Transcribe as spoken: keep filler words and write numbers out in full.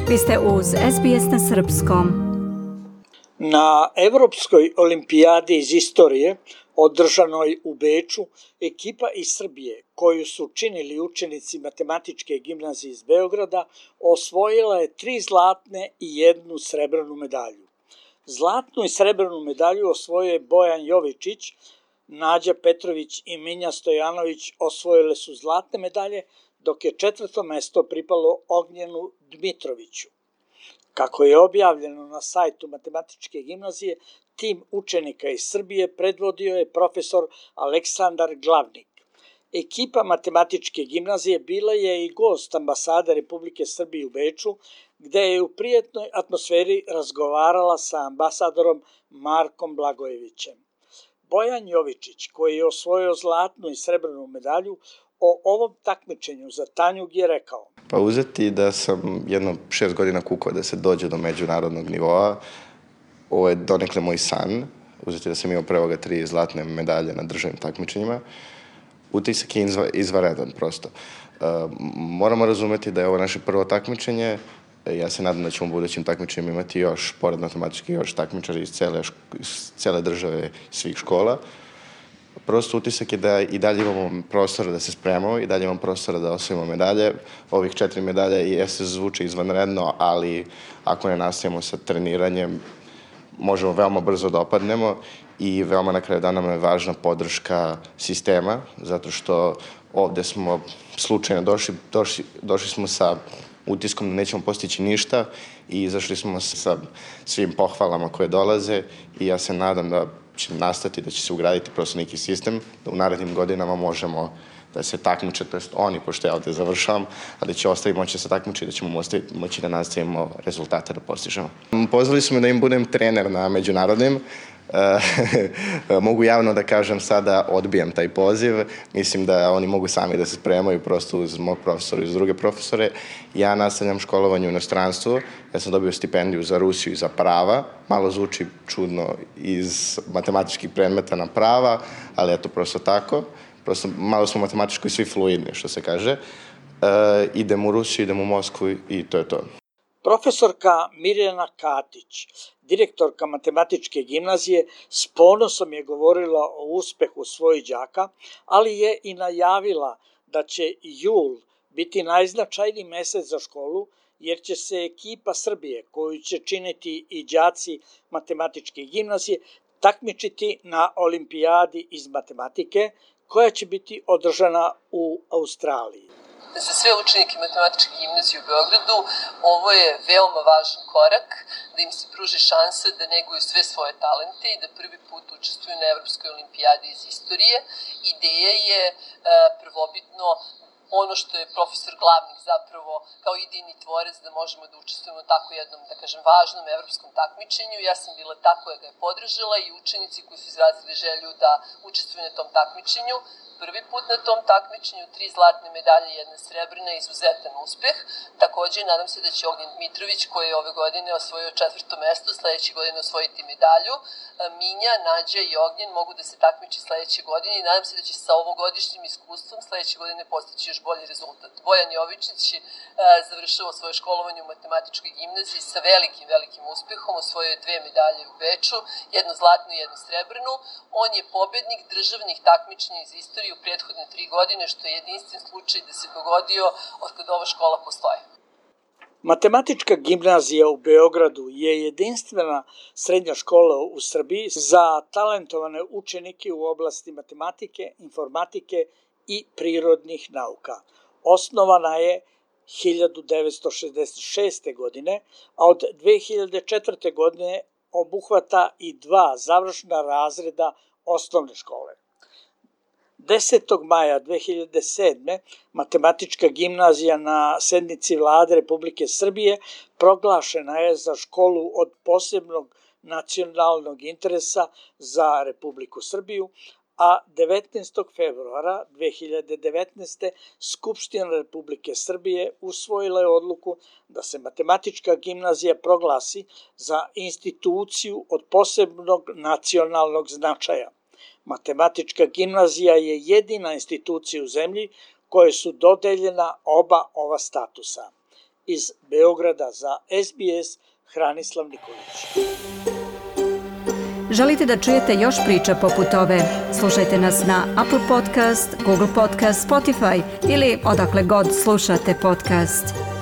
Vi ste uz S B S na srpskom. Na Evropskoj olimpijadi iz istorije, održanoj u Beču, ekipa iz Srbije, koju su činili učenici Matematičke gimnazije iz Beograda, osvojila je tri zlatne i jednu srebrnu medalju. Zlatnu i srebrnu medalju osvojio je Bojan Jovičić, Nađa Petrović i Minja Stojanović osvojile su zlatne medalje, dok je četvrto mesto pripalo Ognjenu Dmitroviću. Kako je objavljeno na sajtu Matematičke gimnazije, tim učenika iz Srbije predvodio je profesor Aleksandar Glavnik. Ekipa Matematičke gimnazije bila je i gost ambasade Republike Srbije u Beču, gde je u prijatnoj atmosferi razgovarala sa ambasadorom Markom Blagojevićem. Bojan Jovičić, koji je osvojio zlatnu i srebrnu medalju, o ovom takmičenju za Tanjug je rekao: Pa uzeti da sam jedno šest godina kukao da se dođe do međunarodnog nivoa, ovo je donekle moj san, uzeti da sam imao pre ovoga tri zlatne medalje na državnim takmičenjima, utisak je izva, izvaredan prosto. Uh, moramo razumeti da je ovo naše prvo takmičenje, ja se nadam da ćemo u budućim takmičenjima imati još, pored matematički, još takmičari iz cele, iz cele države, svih škola. Prosto utisak je da i dalje imamo prostora da se spremamo, i dalje imamo prostora da osvojimo medalje. Ovih četiri medalje jeste zvuče izvanredno, ali ako ne nastavimo sa treniranjem, možemo veoma brzo da opadnemo i veoma na kraju dana nam je važna podrška sistema, zato što ovde smo slučajno došli, došli, došli smo sa utiskom da nećemo postići ništa i izašli smo sa svim pohvalama koje dolaze i ja se nadam da će nastati, da će se ugraditi prosto neki sistem, da u narednim godinama možemo da se takmiče, to jest oni, pošto ja ovde završavam, a da će ostaviti moći da se takmiče i da ćemo ostaviti moći da nastavimo rezultate da postižemo. Pozvali su me da im budem trener na međunarodnim. Mogu javno da kažem sada odbijam taj poziv. Mislim da oni mogu sami da se spremaju prosto uz mog profesora i uz druge profesore. Ja nastavljam školovanje u inostranstvu. Ja sam dobio stipendiju za Rusiju i za prava. Malo zvuči čudno iz matematičkih predmeta na prava, ali eto prosto tako. Prosto malo smo matematički svi fluidni, što se kaže. E, idem u Rusiju, idem u Moskvu i to je to. Profesorka Mirjana Katić, direktorka Matematičke gimnazije, s ponosom je govorila o uspehu svojih đaka, ali je i najavila da će jul biti najznačajniji mesec za školu, jer će se ekipa Srbije, koju će činiti i đaci Matematičke gimnazije, takmičiti na olimpijadi iz matematike, koja će biti održana u Australiji. Za sve učenike Matematičke gimnazije u Beogradu ovo je veoma važan korak, da im se pruži šansa da neguju sve svoje talente i da prvi put učestvuju na Evropskoj olimpijadi iz istorije. Ideja je e, prvobitno ono što je profesor Glavnik zapravo kao idejni tvorec da možemo da učestvujemo u tako jednom, da kažem, važnom evropskom takmičenju. Ja sam bila ta koja ga je podržala i učenici koji su izrazili želju da učestvuju na tom takmičenju. Prvi put na tom takmičenju, tri zlatne medalje i jedna srebrna, izuzetan uspeh. Takođe, nadam se da će Ognjen Dmitrović, koji je ove godine osvojio četvrto mesto, sledeće godine osvojiti medalju. Minja, Nađa i Ognjen mogu da se takmiče sledeće godine i nadam se da će sa ovogodišnjim iskustvom sledeće godine postići još bolji rezultat. Bojan Jovičić je završava svoje školovanje u Matematičkoj gimnaziji sa velikim, velikim uspehom, osvojio je dve medalje u Beču, jednu zlatnu i jednu srebrnu. On je pobednik državnih takmičenja iz istorije u prethodne tri godine, što je jedinstven slučaj da se dogodio od kada ova škola postoje. Matematička gimnazija u Beogradu je jedinstvena srednja škola u Srbiji za talentovane učenike u oblasti matematike, informatike i prirodnih nauka. Osnovana je hiljadu devetsto šezdeset šeste. godine, a od dve hiljade četvrte. godine obuhvata i dva završna razreda osnovne škole. desetog maja dve hiljade sedme. Matematička gimnazija na sednici Vlade Republike Srbije proglašena je za školu od posebnog nacionalnog interesa za Republiku Srbiju, a devetnaestog februara dve hiljade devetnaeste. Skupština Republike Srbije usvojila je odluku da se Matematička gimnazija proglasi za instituciju od posebnog nacionalnog značaja. Matematička gimnazija je jedina institucija u zemlji kojoj su dodeljena oba ova statusa. Iz Beograda za S B S, Hranislav Nikolić. Želite da čujete još priča poput ove? Slušajte nas na Apple Podcast, Google Podcast, Spotify ili odakle god slušate podcast.